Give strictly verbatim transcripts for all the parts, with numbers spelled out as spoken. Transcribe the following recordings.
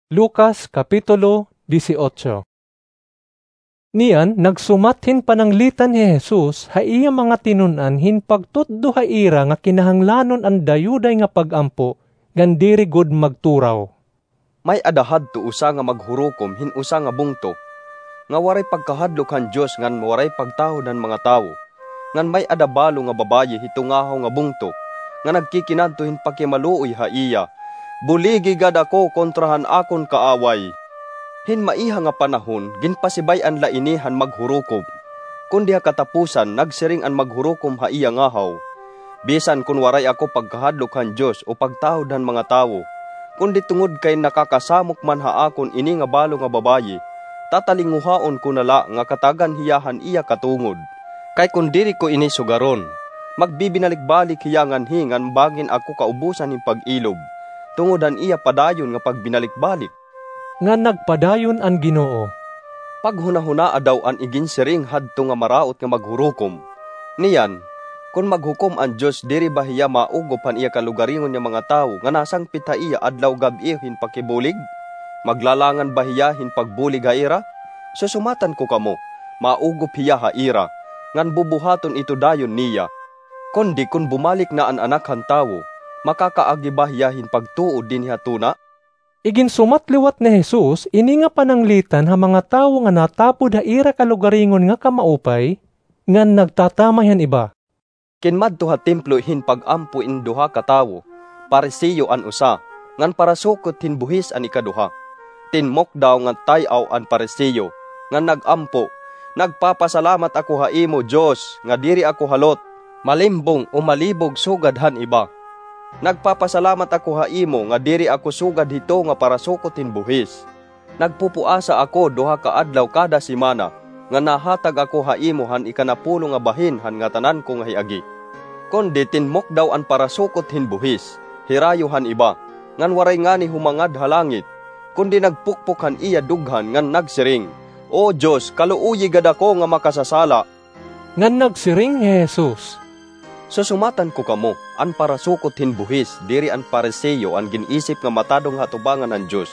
Lucas, Kapitulo dieciocho. Niyan, nagsumat hin pananglitan hi Jesus ha iya mga tinun-an hin pagtutdo ha ira nga kinahanglanon an dayuday nga pag-ampo ngan diri gud magturaw. May-ada hadto usa nga maghurukom hin usa nga bungto, nga waray pagkahadlok han Dios ngan waray pagtahod han mga tawo. Ngan may-ada balo nga babaye hito ngahaw nga bungto, nga nagkikinadto hin pakimaluoy ha iya, "Buligi gad ako kontra han akon kaaway." Hin maiha nga panahon, ginpasibay-an la ini han maghurukom. Kundi ha katapusan, nagsiring an maghurukom ha iya ngahaw, "Bisan kon waray ako pagkahadlok han Dios o pagtahod han mga tawo, kundi tungod kay nakakasamok man ha akon ini nga balo nga babaye, tatalinguhaon ko na la nga katagan hiya han iya katungod. Kay kon diri ko ini sugaron, magbibinalik-balik hiya nganhi ngan bangin ako kaubusan hin pag-ilob, tungod han iya padayon nga pagbinalik-balik." Ngan nagpadayon an Ginoo, "Paghunahunaa daw an iginsiring hadto nga maraot nga maghurukom. Niyan, kon maghukom an Dios, diri ba hiya maugop han iya kalugaringon nga mga tawo nga nasangpit ha iya adlaw gab-i hin pakibulig? Maglalangan ba hiya hin pagbulig ha ira? Susumatan ko kamo, maugop hiya ha ira, ngan bubuhaton ito dayon niya. Kundi kon bumalik na an Anak han Tawo, makakaagi ba hiya hin pagtuo dinhi ha tuna?" Iginsumat liwat ni Jesus ini nga pananglitan ha mga tawo nga natapod ha ira kalugaringon nga kamaupay, ngan nagtatamay han iba, "Kinmadto ha templo hin pag-ampo in duha ka tawo, Pariseo an usa, ngan parasukot hin buhis an ikaduha. Tinmukdaw ngan tay-aw an Pariseo, ngan nag-ampo, 'Nagpapasalamat ako ha imo, Dios, nga diri ako halot, malimbong o malibog sugad han iba. Nagpapasalamat ako ha imo nga diri ako sugad hito nga parasukot hin buhis. Nagpupuasa ako duha ka adlaw kada semana, nga nahatag ako ha imo han ikanapulo nga bahin han ngatanan ko nga hiagi.' Kundi tinmukdaw an parasukot hin buhis, hirayo han iba, ngan waray ngani humangad ha langit, kundi nagpukpok han iya dughan ngan nagsiring, 'O Dios, kaluoyi gad ako nga makasasala.'" Ngan nagsiring hi Jesus, "Susumatan ko kamo, an parasukot hin buhis diri an Pariseo an gin-isip nga matadong ha atubangan han Dios.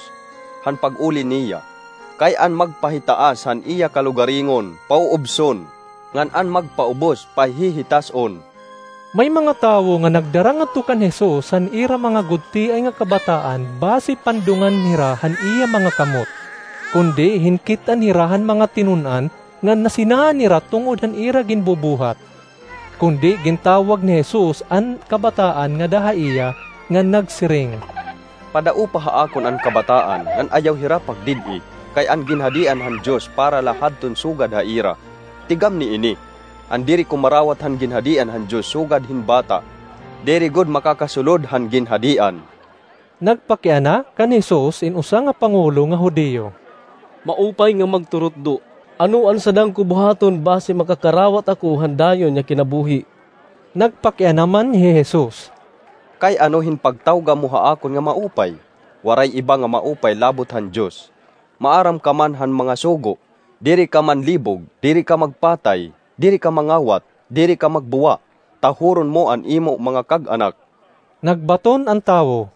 Han pag-uli niya, kay an magpahitaas han iya kalugaringon, pauubson, ngan an magpaubos, pahihitas-on." May mga tawo nga nagdara ngadto kan Jesus han ira mga gutiay nga kabataan basi pandungan hira han iya mga kamot. Kundi hinkit-an hira han mga tinun-an ngan nasinaan hira tungod han ira ginbubuhat. Kundi gintawag ni Jesus an kabataan ngada ha iya, ngan nagsiring, "Padaupa ha akon an kabataan, ngan ayaw hira pagdid-i, kay an Ginhadian han Dios para la hadton sugad ha ira. Tigam niini, an diri kumarawat han Ginhadian han Dios sugad hin bata, diri gud makakasulod han Ginhadian." Nagpakiana kan Jesus in usa nga pangulo nga Judio, "Maupay nga magturutdo, ano an sadang ko buhaton basi makakarawat ako han dayon nga kinabuhi?" Nagpakiana man hi Jesus, "Kay ano hin pagtawga mo ha akon nga maupay? Waray iba nga maupay labot han Dios. Maaram ka man han mga sugo, 'Diri ka manlibog, diri ka magpatay, diri ka mangawat, diri ka magbuwa, tahuron mo an imo mga kag-anak.'" Nagbaton an tawo,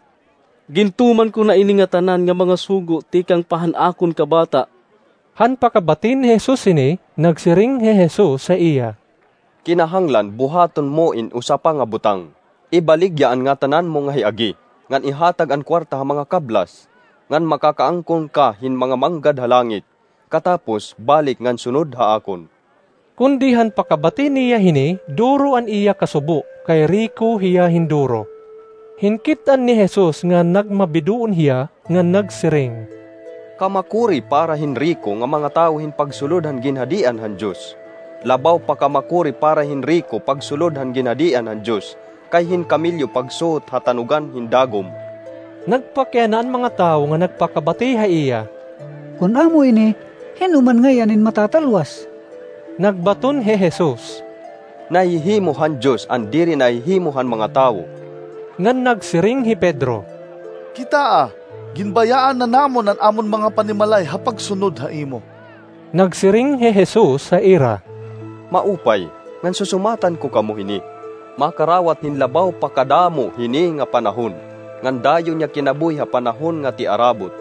"Gintuman ko na ini ngatanan nga mga sugo tikang pa han akon kabata." Han pakabati ni Jesus hini, nagsiring hi Jesus ha iya, "Kinahanglan buhaton mo in usa pa nga butang. Ibaligya an ngatanan mo nga hiagi, ngan ihatag an kuwarta ha mga kablas, ngan makakaangkon ka hin mga manggad ha langit. Katapos, balik ngan sunod ha akon." Kundi han pakabati niya hini, duro an iya kasubo, kay riko hiya hin duro. Hinkit-an ni Jesus nga nagmabiduon hiya, ngan nagsiring, "Kamakuri para hin riko nga mga tawo hin pagsulod han Ginhadian han Dios. Labaw pa kamakuri para hin riko pagsulod han Ginhadian han Dios, kay hin kamelyo pagsuhot ha tanugan hin dagom." Nagpakiana an mga tawo nga nagpakabati ha iya, "Kon amo ini, hin-o man ngay-an in matatalwas?" Nagbaton hi Jesus, "Nahihimo han Dios an diri nahihimo han mga tawo." Ngan nagsiring hi Pedro, "Kitaa, ginbayaan na namon an amon mga panimalay ha pagsunod ha imo." Nagsiring hi Jesus ha ira, "Maupay, ngan susumatan ko kamo hini, makarawat hin labaw pa kadamo hini nga panahon, ngan dayon nga kinabuhi ha panahon nga tiarabot.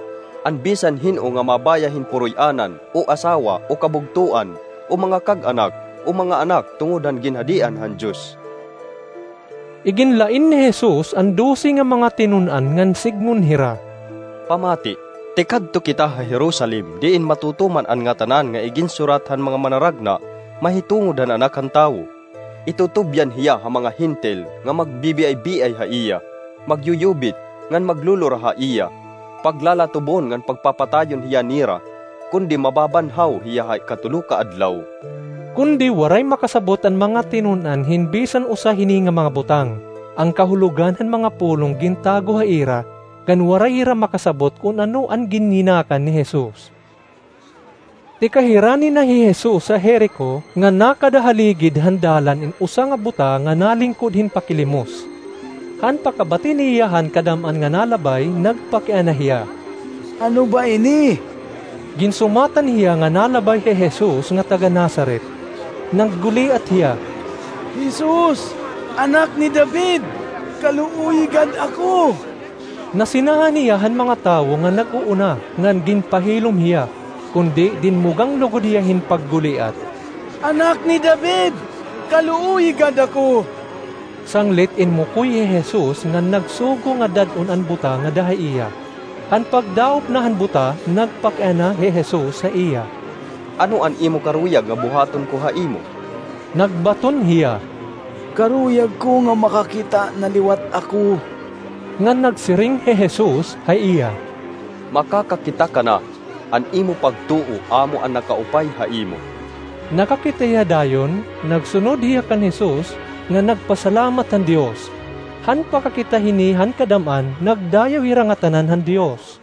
an bisan hin-o nga mabaya hin puroy-anan, o asawa, o kabugtoan, o mga kag-anak, o mga anak tungod han Ginhadian han Dios. Iginlain ni Jesus an dose nga mga tinun-an ngan sidngon hira, "Pamati, tikadto kita ha Jerusalem, diin matutuman an ngatanan nga iginsurat han mga manaragna mahitungod han Anak han Tawo. Itutubyan hiya ha mga Hentil nga magbibiay-biay ha iya, magyuyubit, ngan maglulura ha iya, paglalatubon ngan pagpapatayon hiya nira, kundi mababanhaw hiya ha ikatulo ka adlaw." Kundi waray makasabot an mga tinun-an hin bisan usa hini nga mga butang. An kahulogan han mga pulong gintago ha ira, ngan waray hira makasabot kun ano an ginyinakan ni Jesus. Tikahirani na hi Jesus ha Jerico, nga nakada ha ligid han dalan in usa nga buta nga nalingkod hin pakilimos. Han pakabati niya han kadam-an nga nalabay, nagpakiana hiya, "Ano ba ini?" Ginsumatan hiya nga nalabay hi Jesus nga taga-Nazaret. Nagguliat hiya, "Jesus, Anak ni David, kaluoyi gad ako!" Nasinahan hiya han mga tawo nga nag-uuna, ngan ginpahilom hiya, kundi dinmugang lugod hiya hin pagguliat, "Anak ni David, kaluoyi gad ako!" Sanglit inmukoy hi Jesus ngan nagsugo nga dad-on an buta ngada ha iya. Han pagdaop na han buta, nagpakiana hi Jesus ha iya, "Ano an imo karuyag nga buhaton ko ha imo?" Nagbaton hiya, "Karuyag ko nga makakita na liwat ako." Ngan nagsiring hi Jesus ha iya, "Makakakita ka na, an imo pagtuo amo an nakaupay ha imo." Nakakita hiya dayon, nagsunod hiya kan Jesus, ngan nagpasalamat han Dios. Han pakakita hini han kadam-an, nagdayaw hira ngatanan han Dios.